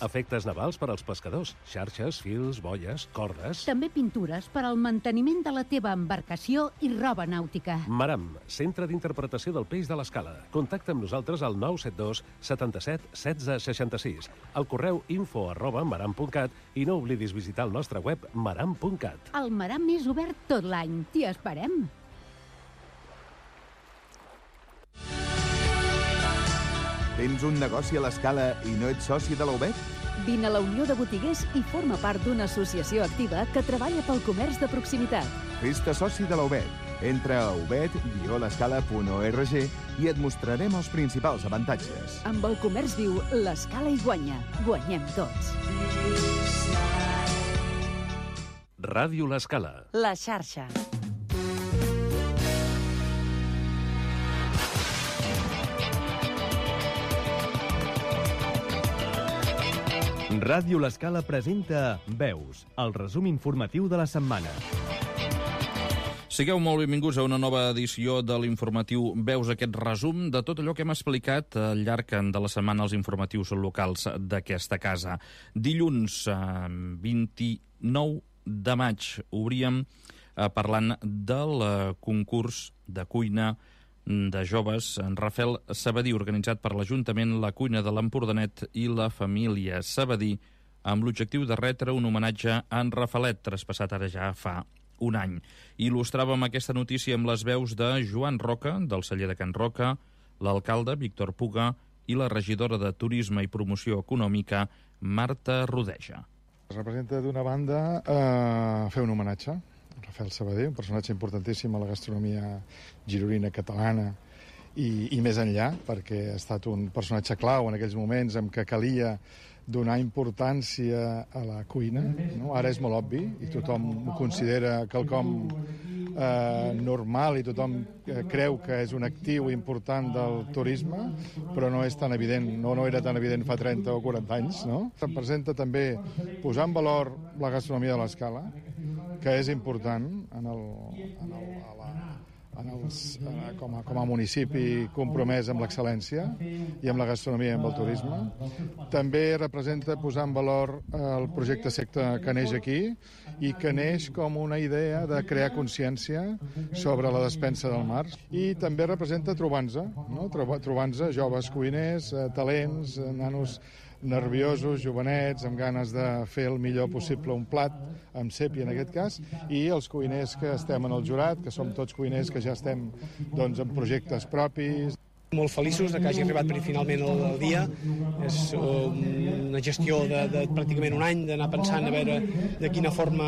Efectes navals per als pescadors, xarxes, fils, boies, cordes... També pintures per al manteniment de la teva embarcació i roba nàutica. Maram, centre d'interpretació del peix de l'Escala. Contacta amb nosaltres al 972 77 16 66, al correu info@maram.cat i no oblidis visitar el nostre web maram.cat. El Maram és obert tot l'any. T'hi esperem. Tens un negoci a l'Escala i no ets soci de la UBET? Vine a la Unió de Botiguers i forma part d'una associació activa que treballa pel comerç de proximitat. Fes-te soci de la UBET. Entra a ubet-l'escala.org i et mostrarem els principals avantatges. Amb el comerç viu, l'Escala hi guanya. Guanyem tots. Ràdio l'Escala. La xarxa. Ràdio l'Escala presenta Veus, el resum informatiu de la setmana. Sigueu molt benvinguts a una nova edició de l'informatiu Veus, aquest resum de tot allò que hem explicat al llarg de la setmana als informatius locals d'aquesta casa. Dilluns 29 de maig obríem parlant del concurs de cuina de joves en Rafael Sabadí, organitzat per l'Ajuntament, la Cuina de l'Empordanet i la família Sabadí, amb l'objectiu de retre un homenatge a en Rafaelet, traspassat ara ja fa un any. Il·lustràvem aquesta notícia amb les veus de Joan Roca, del celler de Can Roca, l'alcalde Víctor Puga i la regidora de Turisme i Promoció Econòmica, Marta Rodeja. Es representa d'una banda fer un homenatge Rafael Sabadí, un personatge importantíssim a la gastronomia gironina catalana i més enllà, perquè ha estat un personatge clau en aquells moments en què calia donar importància a la cuina, no? Ara és molt obvi i tothom ho considera quelcom normal i tothom creu que és un actiu important del turisme, però no és tan evident, no era tan evident fa 30 o 40 anys, no? Representa també posar en valor la gastronomia de l'Escala, que és important com a municipi compromès amb l'excel·lència i amb la gastronomia i amb el turisme. També representa posar en valor el projecte Secta que neix aquí i que neix com una idea de crear consciència sobre la despensa del mar. I també representa trobar-nos, no? Trobar-nos joves cuiners, talents, nanos nerviosos, jovenets, amb ganes de fer el millor possible un plat, amb sèpia en aquest cas, i els cuiners que estem en el jurat, que som tots cuiners que ja estem doncs, en projectes propis. Molt feliços que hagi arribat finalment el dia. És una gestió de pràcticament un any d'anar pensant a veure de quina forma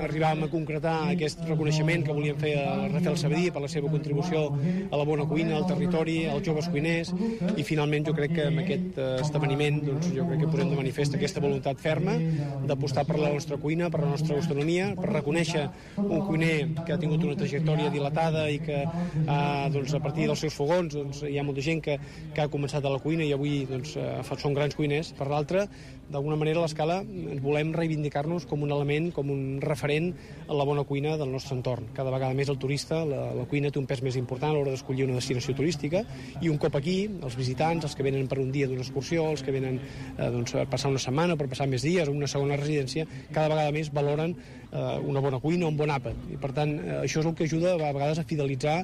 arribàvem a concretar aquest reconeixement que volíem fer a Rafael Sabadí per la seva contribució a la bona cuina, al territori, als joves cuiners, i finalment jo crec que amb aquest esdeveniment doncs, jo crec que posem de manifest aquesta voluntat ferma d'apostar per la nostra cuina, per la nostra gastronomia, per reconèixer un cuiner que ha tingut una trajectòria dilatada i que doncs, a partir dels seus fogons doncs, hi ha molta gent que ha començat a la cuina i avui doncs, són grans cuiners. Per l'altra, d'alguna manera a l'Escala volem reivindicar-nos com un element, com un referent a la bona cuina del nostre entorn. Cada vegada més el turista, la cuina té un pes més important a l'hora d'escollir una destinació turística, i un cop aquí, els visitants, els que venen per un dia d'una excursió, els que venen doncs, per passar una setmana, per passar més dies, una segona residència, cada vegada més valoren una bona cuina, un bon àpat. I per tant, això és el que ajuda a vegades a fidelitzar,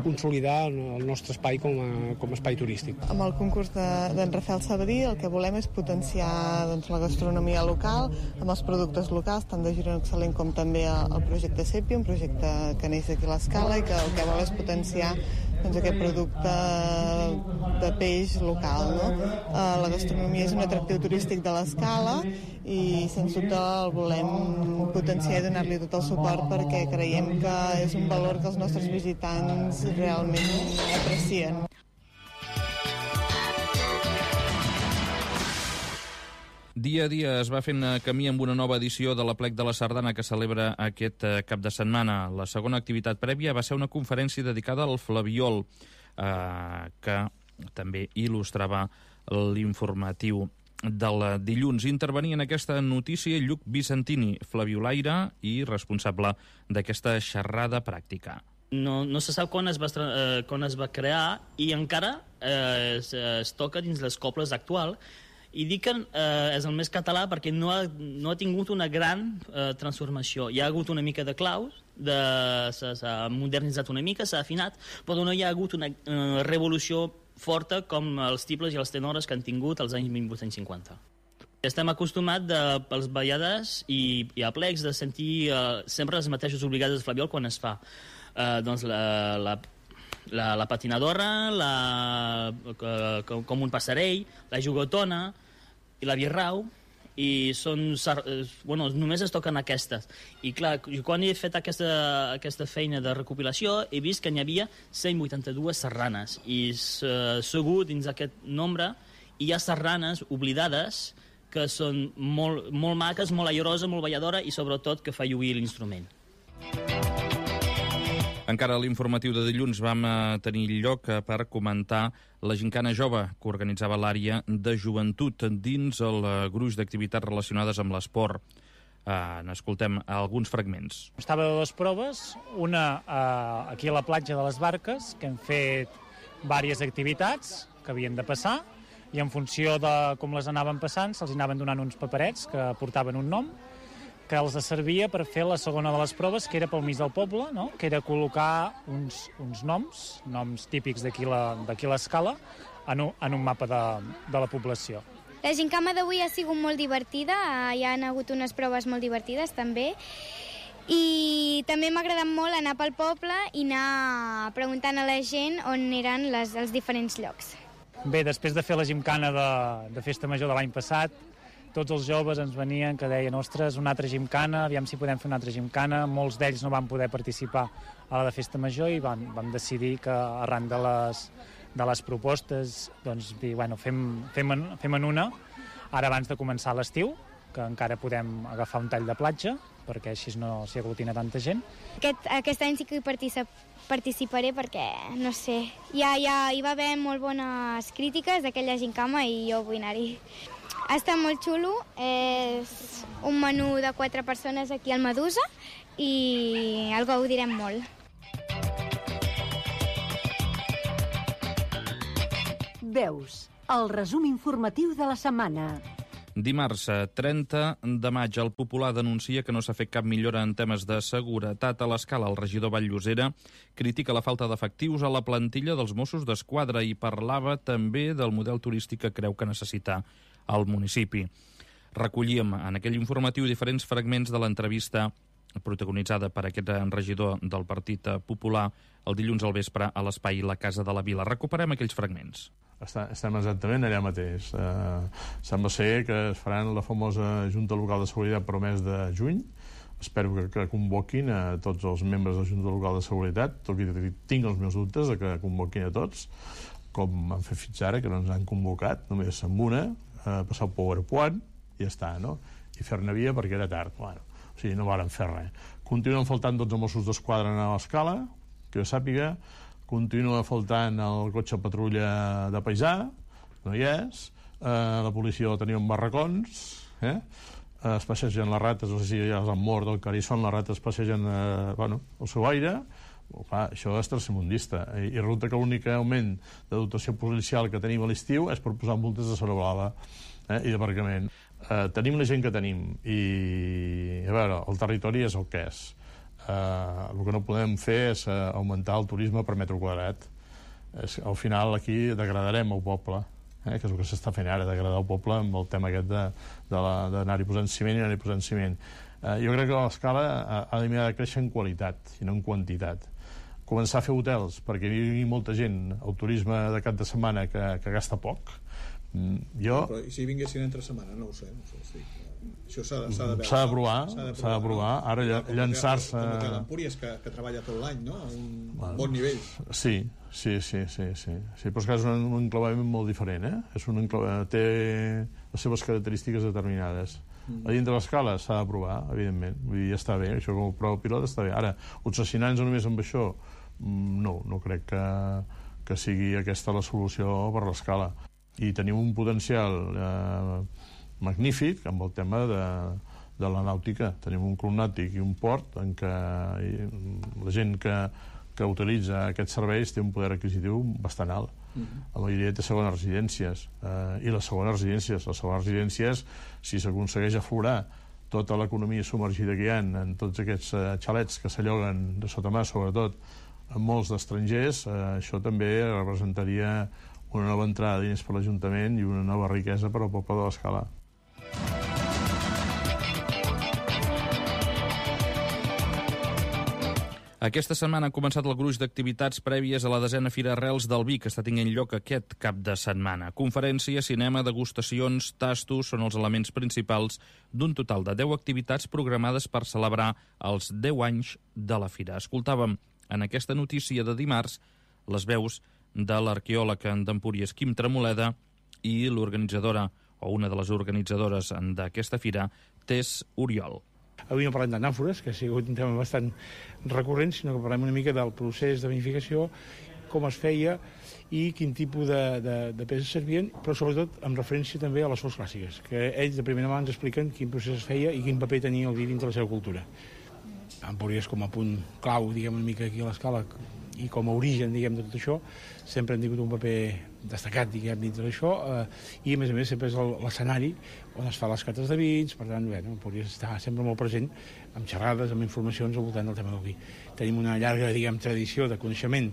consolidar el nostre espai com a espai turístic. Amb el concurs d'en Rafael Sabadí el que volem és potenciar doncs, la gastronomia local amb els productes locals, tant de Girona Excel·lent com també el projecte Sèpia, un projecte que neix aquí a l'Escala i que el que vol és potenciar doncs, aquest producte de peix local. No? La gastronomia és un atractiu turístic de l'Escala i sens dubte el volem potenciar i donar-li tot el suport perquè creiem que és un valor que els nostres visitants realment aprecien. Dia a dia es va fent camí amb una nova edició de l'Aplec de la Sardana que celebra aquest cap de setmana. La segona activitat prèvia va ser una conferència dedicada al flabiol, que també il·lustrava l'informatiu del dilluns. Intervenia en aquesta notícia Lluc Vicentini, flabiolaire i responsable d'aquesta xerrada pràctica. No se sap quan es va crear i encara es toca dins les cobles actual, I dic que és el més català perquè no ha tingut una gran transformació. Hi ha hagut una mica de claus, s'ha modernitzat una mica, s'ha afinat, però no hi ha hagut una revolució forta com els tibles i els tenores que han tingut als anys 1850. Estem acostumats pels ballades i aplecs de sentir sempre les mateixes obligades de Flabiol quan es fa. Doncs la patinadora, com un passarell, la jugatona i la birrau, i només es toquen aquestes. I clar, quan he fet aquesta feina de recopilació he vist que n'hi havia 182 sardanes i segur dins aquest nombre hi ha sardanes oblidades que són molt maques, molt airoses, molt balladora i sobretot que fa lluir l'instrument. Encara a l'informatiu de dilluns vam tenir lloc per comentar la gincana jove que organitzava l'àrea de joventut dins el gruix d'activitats relacionades amb l'esport. N'escoltem alguns fragments. Estava de dues proves, una aquí a la platja de les Barques, que hem fet diverses activitats que havien de passar, i en funció de com les anaven passant se'ls anaven donant uns paperets que portaven un nom, que els servia per fer la segona de les proves, que era pel mig del poble, no? Que era col·locar uns noms típics d'aquí l'escala, en un mapa de la població. La gincama d'avui ha sigut molt divertida, hi ha hagut unes proves molt divertides també, i també m'ha agradat molt anar pel poble i anar preguntant a la gent on eren els diferents llocs. Bé, després de fer la gimcana de Festa Major de l'any passat, tots els joves ens venien que deien, ostres, una altra gimcana, aviam si podem fer una altra gimcana. Molts d'ells no van poder participar a la de Festa Major i vam decidir que arran de les propostes doncs, dir, bueno, fem en una, ara abans de començar l'estiu, que encara podem agafar un tall de platja, perquè així no s'hi aglutina tanta gent. Aquest any sí que hi participaré perquè, no sé, hi va haver molt bones crítiques d'aquella gincama i jo vull anar-hi. Ha estat molt xulo, és un menú de 4 persones aquí al Medusa i el gaudirem molt. Veus, el resum informatiu de la setmana. Dimarts 30 de maig, el Popular denuncia que no s'ha fet cap millora en temes de seguretat a l'escala. El regidor Vall-llosera critica la falta d'efectius a la plantilla dels Mossos d'Esquadra i parlava també del model turístic que creu que necessita el municipi. Recollíem en aquell informatiu diferents fragments de l'entrevista protagonitzada per aquest regidor del Partit Popular el dilluns al vespre a l'espai La Casa de la Vila. Recuperem aquells fragments. Estem exactament allà mateix. Sembla ser que es faran la famosa Junta Local de Seguretat per al mes de juny. Espero que convoquin a tots els membres de la Junta Local de Seguretat, tot i que tinc els meus dubtes de que convoquin a tots, com han fet fins ara, que no ens han convocat, només amb una, passar el PowerPoint i ja està, no? I fer-ne via perquè era tard. Bueno, o sigui, no varen fer res. Continuen faltant 12 Mossos d'Esquadra a l'escala, que jo sàpiga. Continua faltant el cotxe patrulla de paisà, no hi és. La policia la tenia en barracons, es passegen les rates, no sé si ja han mort del Carisson, les rates passegen al seu aire. Clar, això és tercermundista. I resulta que l'únic augment de dotació policial que tenim a l'estiu és per posar multes de zona blava i d'aparcament. Tenim la gent que tenim i, a veure, el territori és el que és. El que no podem fer és augmentar el turisme per metre quadrat. Al final aquí degradarem el poble, que és el que s'està fent ara, degradar el poble amb el tema aquest d'anar-hi posant ciment i anar-hi posant ciment. Jo crec que l'escala ha de créixer en qualitat i no en quantitat. Començar a fer hotels perquè hi vingui molta gent al turisme de cap de setmana que gasta poc. Però i si vinguessin entre setmana? No ho sé. Això s'ha de veure. S'ha de provar. Ara llançar-se... Com que l'Empúries, que treballa tot l'any, no? A un bon nivell. Sí, però és que és un enclavament molt diferent, té les seves característiques determinades. A dintre de l'escala s'ha de provar, evidentment. Vull dir, ja està bé, això com a prova pilot està bé. Ara, obsessionar-nos només amb això, no crec que sigui aquesta la solució per l'escala. I tenim un potencial magnífic amb el tema de la nàutica. Tenim un club nàutic i un port en què la gent que utilitza aquests serveis té un poder adquisitiu bastant alt. La majoria té segones residències. I les segones residències, si s'aconsegueix aflorar tota l'economia submergida que hi ha en tots aquests xalets que s'alloguen de sota mà, sobretot en molts d'estrangers, això també representaria una nova entrada de diners per l'Ajuntament i una nova riquesa per al poble de l'Escala. Aquesta setmana ha començat el gruix d'activitats prèvies a la 10a Fira Arrels del Vi, que està tenint lloc aquest cap de setmana. Conferència, cinema, degustacions, tastos són els elements principals d'un total de 10 activitats programades per celebrar els 10 anys de la Fira. Escoltàvem en aquesta notícia de dimarts les veus de l'arqueòleg d'Empúries, Quim Tremoleda, i l'organitzadora, o una de les organitzadores d'aquesta fira, Tess Oriol. Avui no parlem d'anàfores, que ha sigut un tema bastant recurrent, sinó que parlem una mica del procés de vinificació, com es feia i quin tipus de peces servien, però sobretot amb referència també a les fonts clàssiques, que ells de primera mà ens expliquen quin procés es feia i quin paper tenia el vi dins de la seva cultura. Empúries com a punt clau, diguem, una mica aquí a l'Escala, i com a origen, diguem, de tot això, sempre han tingut un paper destacat, diguem, dintre d'això, i a més sempre és l'escenari on es fa les cates de vins. Per tant, Empúries està sempre molt present amb xerrades, amb informacions al voltant del tema del vi. Tenim una llarga, diguem, tradició de coneixement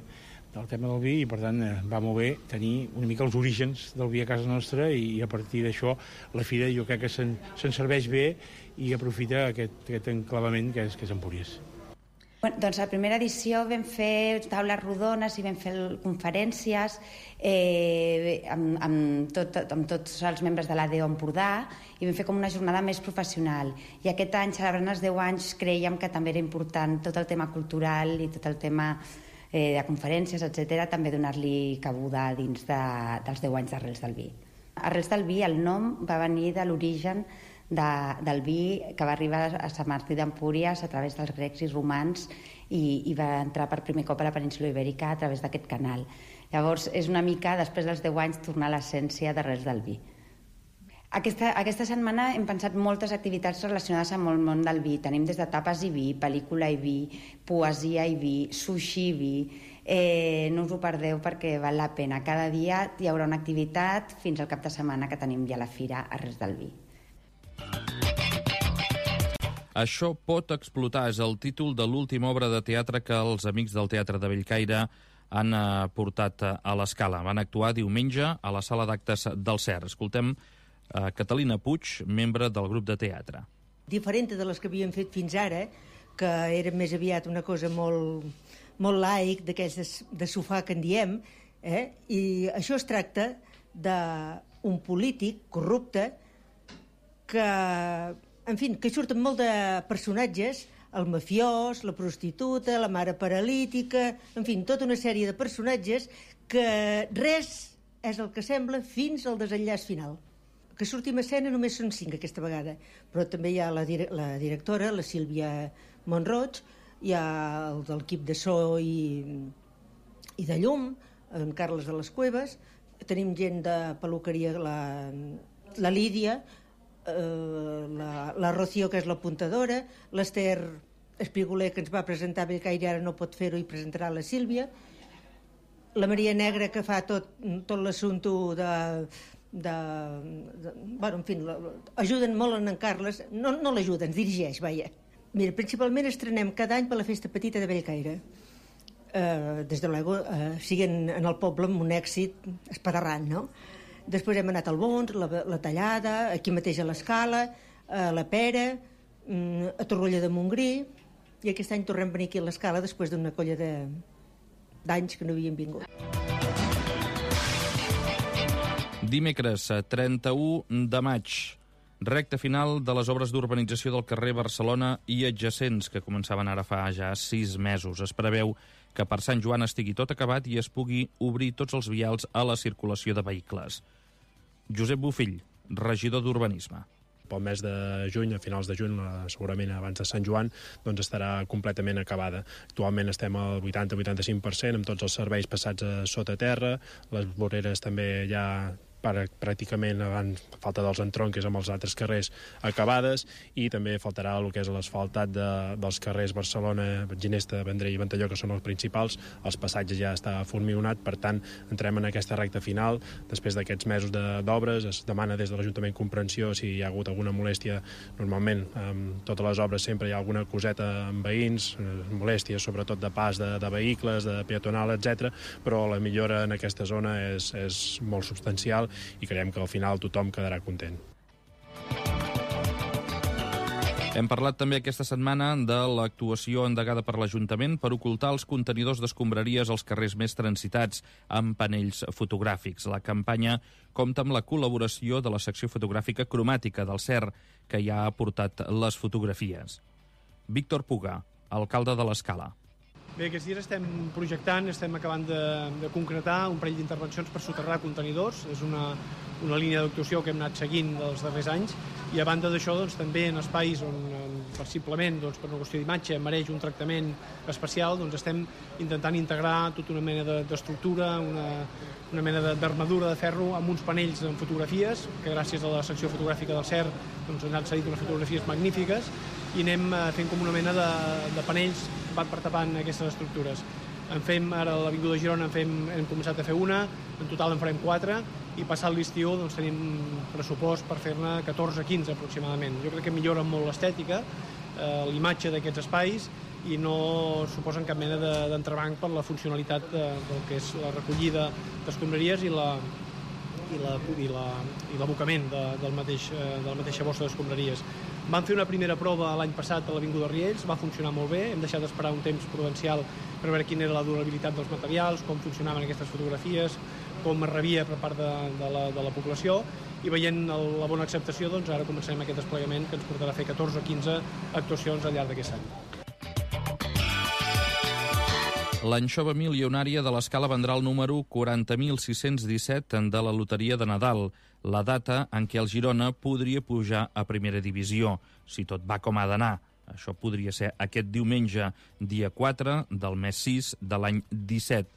del tema del vi i, per tant, va molt bé tenir una mica els orígens del vi a casa nostra i a partir d'això la fira jo crec que se'n serveix bé i aprofita aquest enclavament que és Empúries. Bueno, doncs a la primera edició vam fer taules rodones i vam fer conferències amb tots els membres de l'ADO Empordà i vam fer com una jornada més professional. I aquest any, celebrant els 10 anys, creiem que també era important tot el tema cultural i tot el tema de conferències, etc., també donar-li cabuda dins dels 10 anys d'Arrels del Vi. Arrels del Vi, el nom va venir de l'origen del vi que va arribar a Sant Martí d'Empúries a través dels grecs i romans i va entrar per primer cop a la península Ibèrica a través d'aquest canal. Llavors, és una mica, després dels 10 anys, tornar a l'essència d'Arrels del Vi. Aquesta setmana hem pensat moltes activitats relacionades amb el món del vi. Tenim des de tapes i vi, pel·lícula i vi, poesia i vi, sushi i vi. No us ho perdeu perquè val la pena. Cada dia hi haurà una activitat fins al cap de setmana que tenim ja la fira Arrels del Vi. Això pot explotar és el títol de l'última obra de teatre que els amics del Teatre de Bellcaire han portat a l'Escala. Van actuar diumenge a la sala d'actes del CER. Escoltem Catalina Puig, membre del grup de teatre. Diferent de les que havíem fet fins ara, que era més aviat una cosa molt laic, d'aquells de sofà que en diem, i això es tracta d'un polític corrupte que, en fi, que surten molt de personatges, el mafiós, la prostituta, la mare paralítica, en fi, tota una sèrie de personatges que res és el que sembla fins al desenllaç final. Que sortim a escena només són 5 aquesta vegada, però també hi ha la directora, la Sílvia Montroig, hi ha el de l'equip de so i de llum, en Carles de les Cuevas, tenim gent de peluqueria, la Lídia, la Rocío, que és l'apuntadora, l'Ester Espigoler, que ens va presentar a Bellcaire, ara no pot fer-ho i presentarà la Sílvia, la Maria Negra, que fa tot l'assumpte bueno, en fi, ajuden molt en Carles, no l'ajuden, ens dirigeix, vaja. Mira, principalment estrenem cada any per la Festa Petita de Bellcaire. Des de luego, siguen en el poble amb un èxit espaterrant, no? Després hem anat al Bons, la Tallada, aquí mateix a l'Escala, a la Pera, a Torroella de Montgrí, i aquest any tornem a venir aquí a l'Escala després d'una colla d'anys que no havien vingut. Dimecres, 31 de maig, recta final de les obres d'urbanització del carrer Barcelona i adjacents, que començaven ara fa ja 6 mesos. Es preveu que per Sant Joan estigui tot acabat i es pugui obrir tots els vials a la circulació de vehicles. Josep Bofill, regidor d'Urbanisme. Pel mes de juny, a finals de juny, segurament abans de Sant Joan, doncs estarà completament acabada. Actualment estem al 80-85% amb tots els serveis passats a sota terra, les voreres també ja pràcticament abans falta dels entronques amb els altres carrers acabades, i també faltarà el que és l'asfaltat dels carrers Barcelona, Ginesta, Vendrell i Ventalló, que són els principals. Els passatges ja està formionat, per tant entrem en aquesta recta final. Després d'aquests mesos d'obres es demana des de l'Ajuntament comprensió si hi ha hagut alguna molèstia. Normalment amb totes les obres sempre hi ha alguna coseta amb veïns, molèsties sobretot de pas de vehicles, de peatonal, etc. Però la millora en aquesta zona és molt substancial i creiem que al final tothom quedarà content. Hem parlat també aquesta setmana de l'actuació endegada per l'Ajuntament per ocultar els contenidors d'escombraries als carrers més transitats amb panells fotogràfics. La campanya compta amb la col·laboració de la secció fotogràfica cromàtica del CER, que ja ha aportat les fotografies. Víctor Puga, alcalde de l'Escala. Bé, aquests dies estem projectant, estem acabant de concretar un parell d'intervencions per soterrar contenidors. És una línia d'actuació que hem anat seguint dels darrers anys, i a banda d'això també en espais on possiblement per una qüestió d'imatge mereix un tractament especial, estem intentant integrar tota una mena d'estructura, una mena d'armadura de ferro amb uns panells amb fotografies, que gràcies a la secció fotogràfica del CER ens han cedit unes fotografies magnífiques, i anem fent com una mena de panells per tapant aquestes estructures. Ara a l'Avinguda de Girona hem començat a fer una, en total en farem 4, i passat l'estiu tenim pressupost per fer-ne 14-15 aproximadament. Jo crec que millora molt l'estètica, l'imatge d'aquests espais, i no suposen cap mena d'entrebanc per la funcionalitat del que és la recollida d'escombraries i l'abocament de la mateixa bossa d'escombraries. Vam fer una primera prova l'any passat a l'Avinguda Riells, va funcionar molt bé, hem deixat d'esperar un temps prudencial per veure quina era la durabilitat dels materials, com funcionaven aquestes fotografies, com es rebia per part de la població, i veient la bona acceptació, ara començarem aquest desplegament que ens portarà a fer 14 o 15 actuacions al llarg d'aquest any. L'anxova milionària de l'Escala vendrà el número 40.617 de la loteria de Nadal, la data en què el Girona podria pujar a primera divisió, si tot va com ha d'anar. Això podria ser aquest diumenge, dia 4 del mes 6 de l'any 17.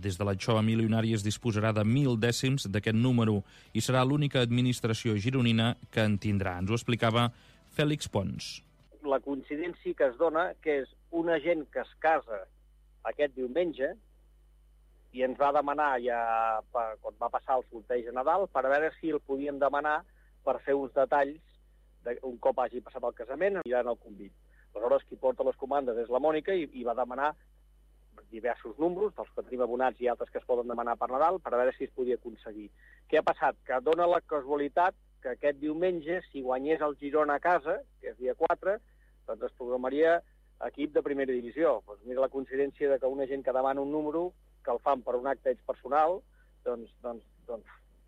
Des de l'anxova milionària es disposarà de 1.000 dècims d'aquest número i serà l'única administració gironina que en tindrà. Ens ho explicava Fèlix Pons. La coincidència que es dona que és una gent que es casa aquest diumenge i ens va demanar quan va passar el sorteig de Nadal per veure si el podíem demanar per fer uns detalls un cop hagi passat el casament aniran al convit. Aleshores, qui porta les comandes és la Mònica i va demanar diversos números, dels que tenim abonats i altres que es poden demanar per Nadal, per veure si es podia aconseguir. Què ha passat? Que dona la casualitat que aquest diumenge, si guanyés el Girona a casa, que és dia 4, doncs es programaria equip de primera divisió. Doncs mira la coincidència de que una gent que demana un número, que el fan per un acte personal, doncs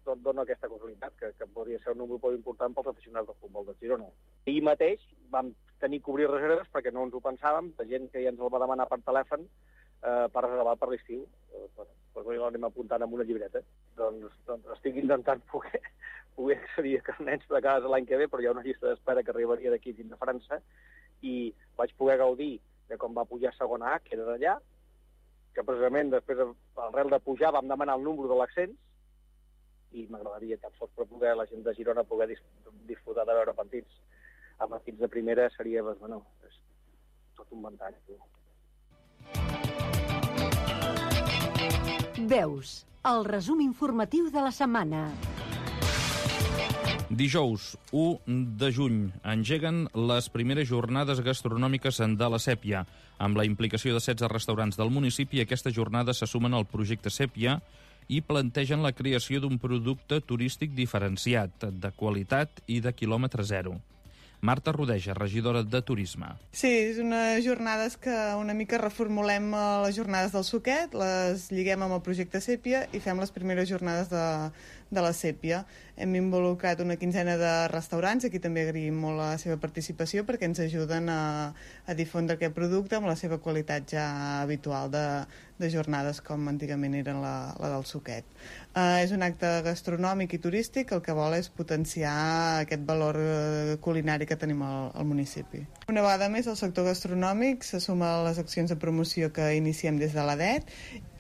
dona aquesta casualitat, que podria ser un número molt important pels aficionats del futbol de Girona. Ahir mateix vam tenir que obrir reserves perquè no ens ho pensàvem, de gent que ja ens el va demanar per telèfon per reservar per l'estiu. Doncs l'anem apuntant amb una llibreta. Doncs estic intentant poder accedir a carnets de casa l'any que ve, però hi ha una llista d'espera que arribaria d'aquí fins a França, i vaig poder gaudir de com va pujar a segona A, que era d'allà, que precisament després, arrel de pujar, vam demanar el número de l'ascens, i m'agradaria tan sols per poder la gent de Girona poder disfrutar de veure partits amb equips de primera seria, és tot un ventall. Veus, el resum informatiu de la setmana. Dijous, 1 de juny, engeguen les primeres jornades gastronòmiques de la Sèpia. Amb la implicació de 16 restaurants del municipi, aquestes jornades se sumen al projecte Sèpia i plantegen la creació d'un producte turístic diferenciat, de qualitat i de quilòmetre zero. Marta Rodeja, regidora de Turisme. Sí, és unes jornades que una mica reformulem les jornades del Suquet, les lliguem amb el projecte Sèpia i fem les primeres jornades de la Sèpia. Hem involucrat una quinzena de restaurants, aquí també agraïm molt la seva participació perquè ens ajuden a difondre aquest producte amb la seva qualitat ja habitual de jornades com antigament eren la del Suquet. És un acte gastronòmic i turístic que el que vol és potenciar aquest valor culinari que tenim al municipi. Una vegada més, el sector gastronòmic se suma a les accions de promoció que iniciem des de l'ADET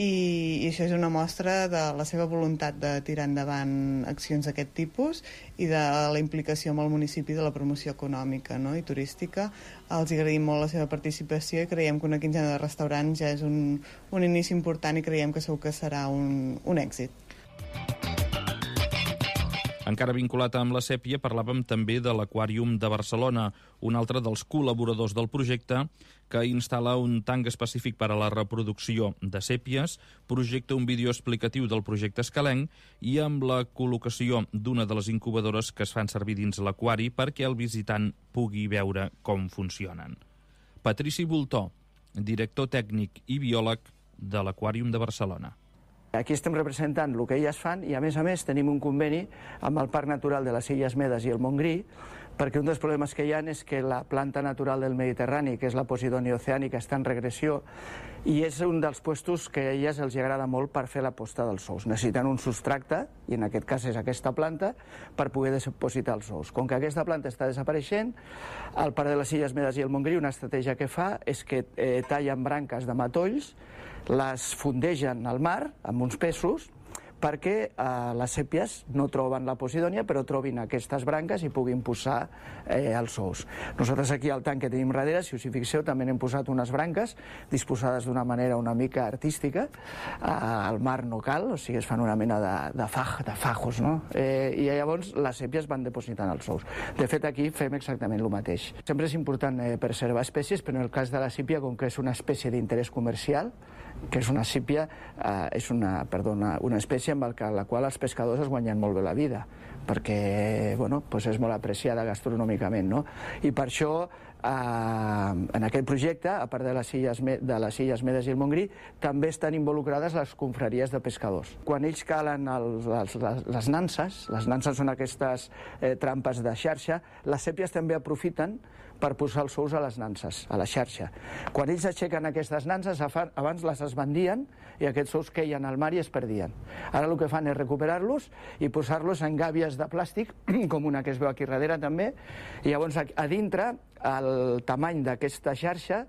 i això és una mostra de la seva voluntat de tirar endavant arran accions d'aquest tipus i de la implicació amb el municipi de la promoció econòmica, no?, i turística. Els agraïm molt la seva participació i creiem que una quinzena de restaurants ja és un inici important i creiem que segur que serà un èxit. Encara vinculat amb la sèpia, parlàvem també de l'Aquàrium de Barcelona, un altre dels col·laboradors del projecte, que instal·la un tanc específic per a la reproducció de sèpies, projecta un vídeo explicatiu del projecte escalenc i amb la col·locació d'una de les incubadores que es fan servir dins l'aquari perquè el visitant pugui veure com funcionen. Patrici Voltó, director tècnic i biòleg de l'Aquàrium de Barcelona. Aquí estem representant el que elles fan i, a més, tenim un conveni amb el Parc Natural de les Illes Medes i el Montgrí, perquè un dels problemes que hi ha és que la planta natural del Mediterrani, que és la Posidònia oceànica, està en regressió i és un dels puestos que a elles els agrada molt per fer la posta dels ous. Necessiten un substracte, i en aquest cas és aquesta planta, per poder depositar els ous. Com que aquesta planta està desapareixent, el Parc de les Illes Medes i el Montgrí, una estratègia que fa és que tallen branques de matolls, les fondegen al mar amb uns pesos perquè les sèpies no troben la Posidònia, però trobin aquestes branques i puguin posar els ous. Nosaltres aquí al tanc que tenim darrere, si us hi fixeu, també n'hem posat unes branques disposades d'una manera una mica artística. Al mar no cal, o sigui, es fan una mena de fajos, no? I llavors les sèpies van depositant els ous. De fet, aquí fem exactament el mateix. Sempre és important preservar espècies, però en el cas de la sípia, com que és una espècie d'interès comercial, que és una sípia, és una espècie amb la qual els pescadors es guanyen molt bé la vida, perquè és molt apreciada gastronòmicament, no? I per això, en aquest projecte, a part de les Illes Medes i el Montgrí, també estan involucrades les confraries de pescadors. Quan ells calen les nanses són aquestes trampes de xarxa, les sèpies també aprofiten per posar els ous a les nanses, a la xarxa. Quan ells aixequen aquestes nanses, abans les esbandien i aquests ous queien al mar i es perdien. Ara el que fan és recuperar-los i posar-los en gàbies de plàstic, com una que es veu aquí darrere també, i llavors a dintre el tamany d'aquesta xarxa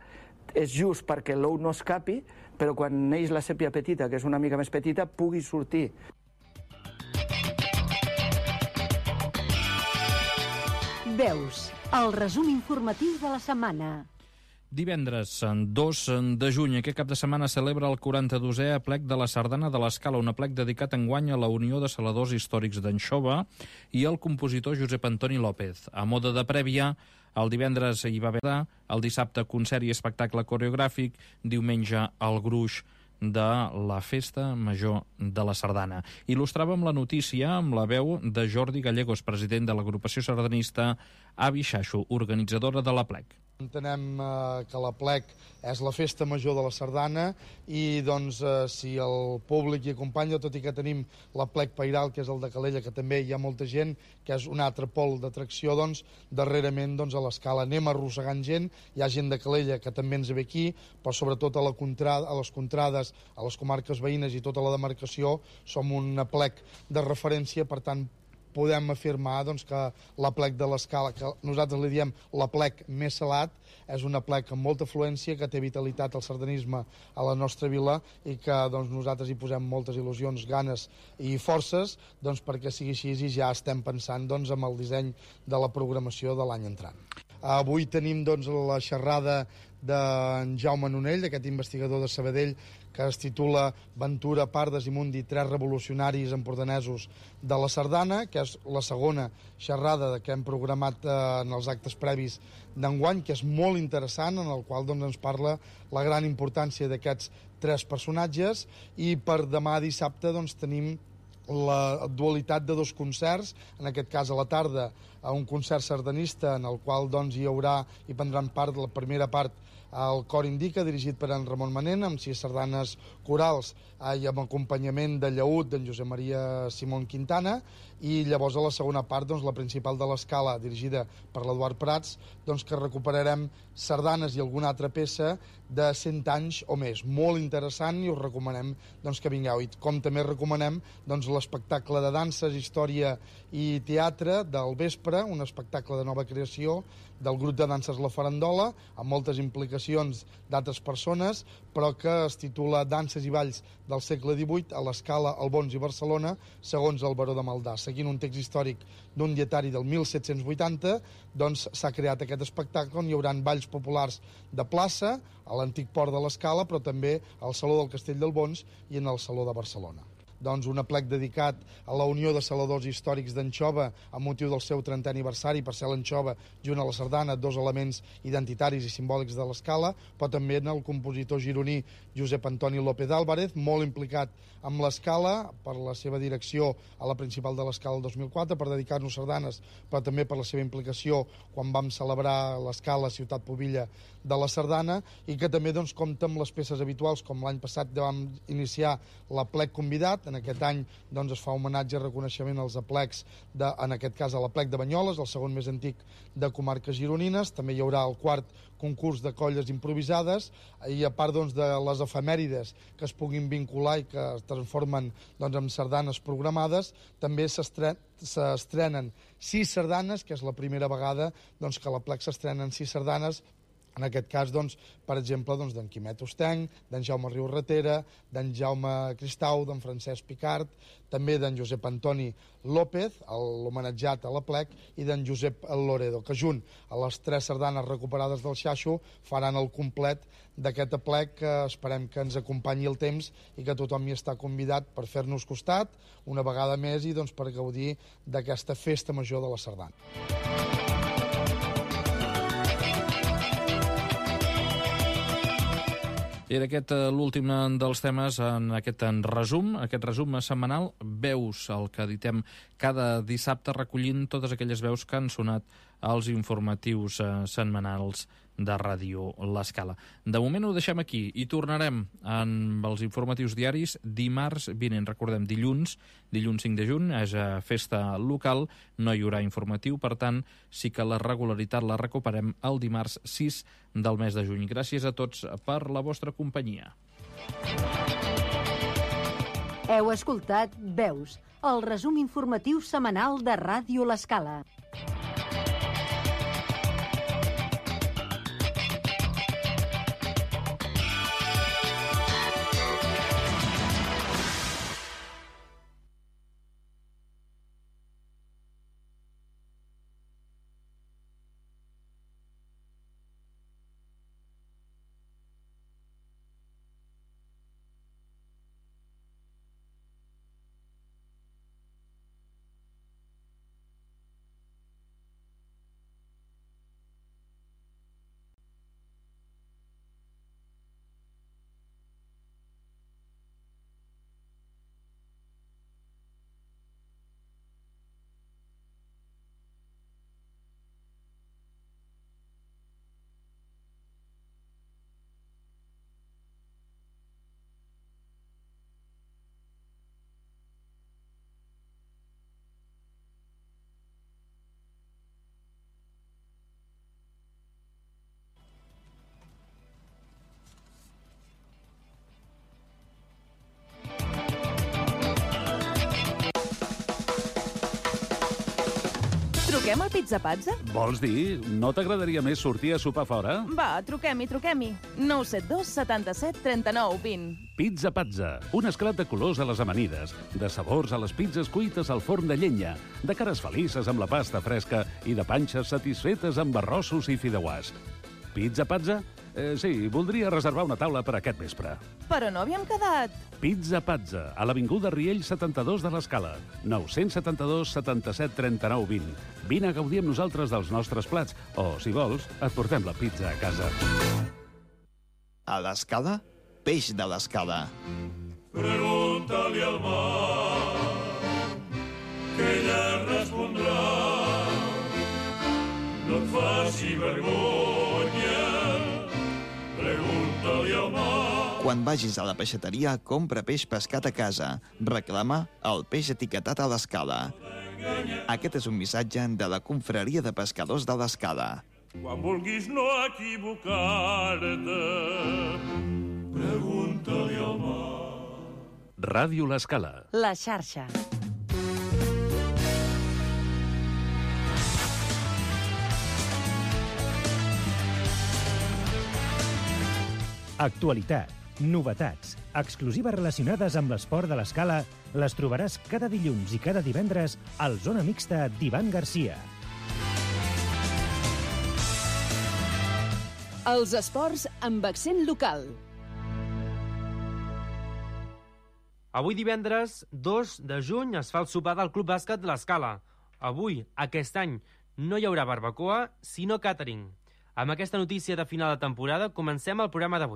és just perquè l'ou no escapi, però quan neix la sèpia petita, que és una mica més petita, pugui sortir. Veus, el resum informatiu de la setmana. Divendres, 2 de juny, aquest cap de setmana celebra el 42è aplec de la Sardana de l'Escala, un aplec dedicat enguany a la Unió de Saladors Històrics d'Anxova i al compositor Josep Antoni López. A mode de prèvia, el divendres hi va haver, el dissabte concert i espectacle coreogràfic, diumenge el gruix de la Festa Major de la Sardana. Il·lustràvem la notícia amb la veu de Jordi Gallegos, president de l'agrupació sardanista Avi Xaxo, organitzadora de l'aplec. Entenem que l'aplec és la festa major de la Sardana i doncs si el públic hi acompanya, tot i que tenim l'aplec Pairal, que és el de Calella, que també hi ha molta gent, que és un altre pol d'atracció, doncs darrerament a l'Escala anem arrossegant gent, hi ha gent de Calella que també ens ve aquí, però sobretot a les contrades, a les comarques veïnes i tota la demarcació som un aplec de referència, per tant podem afirmar que l'aplec de l'Escala, que nosaltres li diem l'aplec més salat, és un aplec amb molta afluència, que té vitalitat al sardanisme a la nostra vila i que nosaltres hi posem moltes il·lusions, ganes i forces perquè sigui així i ja estem pensant en el disseny de la programació de l'any entrant. Avui tenim la xerrada d'en Jaume Nonell, d'aquest investigador de Sabadell, que es titula Ventura, Pardes i Mundi, 3 revolucionaris empordanesos de la Sardana, que és la segona xerrada que hem programat en els actes previs d'enguany, que és molt interessant, en el qual ens parla la gran importància d'aquests 3 personatges, i per demà dissabte tenim la dualitat de 2 concerts, en aquest cas a la tarda un concert sardanista en el qual hi haurà i prendran part la primera part el Cor Indica, dirigit per en Ramon Manent, amb 6 sardanes corals i amb acompanyament de llaüt d'en Josep Maria Simón Quintana, i llavors a la segona part la principal de l'Escala, dirigida per l'Eduard Prats, que recuperarem sardanes i alguna altra peça de 100 anys o més. Molt interessant i us recomanem que vingueu. I com també recomanem l'espectacle de danses, història i teatre del vespre Fora, un espectacle de nova creació del grup de danses La Farandola, amb moltes implicacions d'altres persones, però que es titula Danses i balls del segle XVIII a l'Escala, Albons i Barcelona, segons el Baró de Maldà. Seguint un text històric d'un dietari del 1780, doncs s'ha creat aquest espectacle on hi haurà balls populars de plaça, a l'antic port de l'Escala, però també al Saló del Castell d'Albons i en el Saló de Barcelona. Doncs un aplec dedicat a la Unió de Saladors Històrics d'Anxova amb motiu del seu 30è aniversari, per ser l'Anxova junt a la sardana, dos elements identitaris i simbòlics de l'Escala, però també en el compositor gironí Josep Antoni López Álvarez, molt implicat amb l'Escala per la seva direcció a la principal de l'Escala el 2004, per dedicar-nos sardanes, però també per la seva implicació quan vam celebrar l'Escala Ciutat Pobilla de la Sardana, i que també doncs, compta amb les peces habituals, com l'any passat vam iniciar l'aplec convidat. En aquest any doncs, es fa homenatge i reconeixement als aplecs, en aquest cas a l'aplec de Banyoles, el segon més antic de comarques gironines. També hi haurà el quart concurs de colles improvisades, i a part doncs, de les efemèrides que es puguin vincular i que es transformen doncs, en sardanes programades, també s'estrenen 6 sardanes, que és la primera vegada doncs, que a l'aplec s'estrenen 6 sardanes. En aquest cas, doncs, per exemple, doncs, d'en Quimet Ostenc, d'en Jaume Riu-Ratera, d'en Jaume Cristau, d'en Francesc Picart, també d'en Josep Antoni López, l'homenatjat a l'aplec, i d'en Josep Loredo, que junt a les 3 sardanes recuperades del Xaixo faran el complet d'aquest aplec, que esperem que ens acompanyi el temps i que tothom hi està convidat per fer-nos costat una vegada més i doncs, per gaudir d'aquesta festa major de la sardana. I aquest l'últim dels temes en aquest resum setmanal, veus, el que editem cada dissabte recollint totes aquelles veus que han sonat als informatius setmanals de Ràdio L'Escala. De moment ho deixem aquí i tornarem amb els informatius diaris dimarts vinent. Recordem, dilluns 5 de juny, és festa local, no hi haurà informatiu, per tant, sí que la regularitat la recuperem el dimarts 6 del mes de juny. Gràcies a tots per la vostra companyia. Heu escoltat Veus, el resum informatiu setmanal de Ràdio L'Escala. Truquem al Pizza Pazza? Vols dir? No t'agradaria més sortir a sopar fora? Va, truquem-hi. 972 77 39 20. Pizza Pazza, un esclat de colors a les amanides, de sabors a les pizzas cuites al forn de llenya, de cares felices amb la pasta fresca i de panxes satisfetes amb arrossos i fideuàs. Pizza Pazza? Sí, voldria reservar una taula per aquest vespre. Però no havíem quedat. Pizza Pazza, a l'Avinguda Riell 72 de l'Escala. 972 77 39 20. Vine a gaudir amb nosaltres dels nostres plats, o, si vols, et portem la pizza a casa. A l'Escala, peix de l'Escala. Pregunta-li al mar, que ella respondrà. No et faci vergonya, pregunta-li al mar. Quan vagis a la peixateria, compra peix pescat a casa. Reclama el peix etiquetat a l'Escala. Aquest és un missatge de la Confraria de Pescadors de l'Escala. Quan vulguis no equivocar-te, pregunta-li al mar. Ràdio L'Escala. La xarxa. Actualitat, novetats, exclusives relacionades amb l'esport de l'Escala les trobaràs cada dilluns i cada divendres al Zona Mixta d'Ivan Garcia. Els esports amb accent local. Avui divendres 2 de juny es fa el sopar del Club Bàsquet de l'Escala. Avui, aquest any, no hi haurà barbacoa, sinó càtering. Amb aquesta notícia de final de temporada comencem el programa d'avui.